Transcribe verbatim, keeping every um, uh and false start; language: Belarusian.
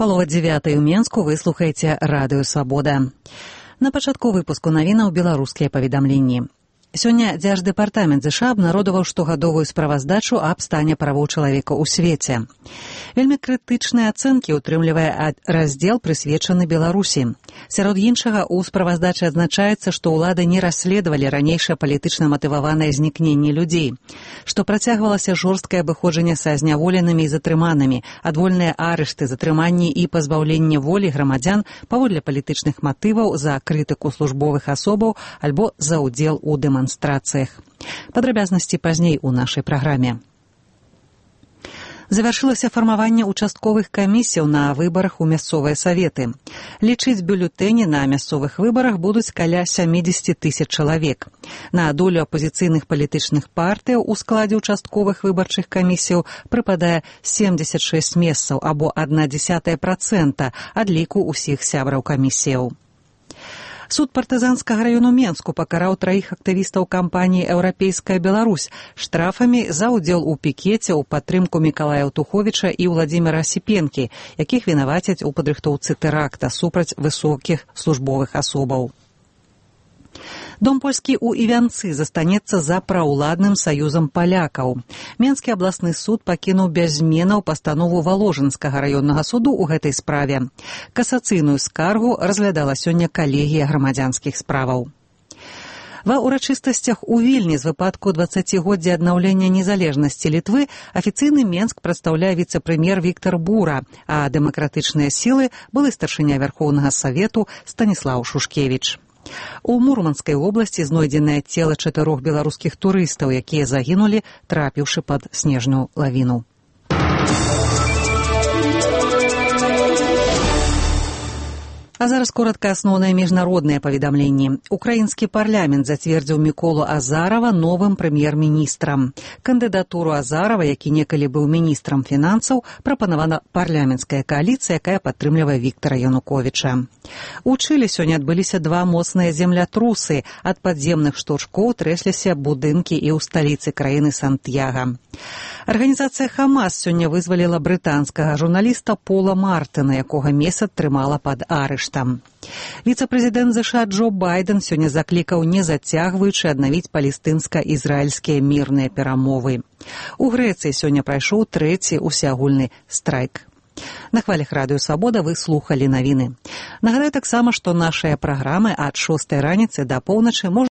Палова дзевятай у Менску, вы слухаеце радыё «Свабода». На пачатку выпуску навінаў беларускія паведамленні. Сёння Дзярждэпартамент ЗША абнародаваў штогадовую справаздачу аб стане правоў чалавека ў свеце. Вельмі крытычныя ацэнкі ўтрымлівае раздзел, прысвечаны Беларусі. Сярод іншага, у справаздачы адзначаецца, што ўлады не расследавалі ранейшае палітычна матываванае знікненне людзей, што працягвалася жорсткае абыходжанне са зняволенымі і затрыманымі, адвольныя арышты, затрыманні і пазбаўленне волі грамадзян паводле палітычных матываў за крытыку службовых асобаў альбо за ўдзел у дэманстрацыях. Падрабязнасці пазней у нашай праграме. Завяршылася фармаванне участковых камісіяў на выбарах у мясцовыя саветы. Лічыць бюлетэні на мясцовых выбарах будуць каля сямдзесят тысяч чалавек. На долю апозіцыйных палітычных партыяў у складзе участковых выбарчых камісіяў прыпадае семьдесят шесть месцаў або адна дзесятая працэнта ад ліку ўсіх сябраў камісіяў. Суд партызанскага раёну Менску пакараў траіх актывістаў кампаніі «Еўрапейская Беларусь» штрафамі за ўдзел у пікеце ў падтрымку Мікалая Аўтуховіча і Ўладзіміра Асіпенкі, якіх вінавацяць у падрыхтоўцы тэракта супраць высокіх службовых асобаў. Дом польскі ў Івянцы застанецца за праўладным саюзам палякаў. Менскі абласны суд пакінуў без зменаў пастанову Валожынскага раённага суду ў гэтай справе. Касацыйную скаргу разглядала сёння калегія грамадзянскіх справаў. Ва ўрачыстасцях у Вільні з выпадку дваццацігоддзя аднаўлення незалежнасці Літвы афіцыйны Менск прадстаўляе віцэ-прэм'ер Віктар Бура, а дэмакратычныя сілы былы старшыня Вярхоўнага Савету Станіслаў Шушкевіч. У Мурманскай вобласці знойдзенае цела чатырох беларускіх турыстаў, якія загінулі, трапіўшы пад снежную лавіну. А зараз коротка асноўныя міжнародныя паведамленні. Украінскі парламент зацвердзіў Міколу Азарова новым прэм'ер-міністрам. Кандыдатуру Азарова, які некалі быў міністрам фінансаў, прапанавана парламенцкая кааліцыя, якая падтрымлівае Віктара Януковіча. У Чылі сёння адбыліся два моцныя землятрусы. Ад падземных штуршкоў трэсліся будынкі і ў сталіцы краіны Сантьяга. Арганізацыя «Хамас» сёння вызваліла брытанскага журналіста Пола Мартына, якога месяц трымала пад арыштам. Віцэ-прэзідэнт ЗША Джо Байден сёння заклікаў, не зацягваючы, аднавіць палестынска-ізраільскія мірныя перамовы. У Грэцыі сёння прайшоў трэці усеагульны страйк. На хвалях радыё «Свабода» вы слухалі навіны. Нагадаю таксама, што нашыя праграмы ад шостай раніцы да поўначы можна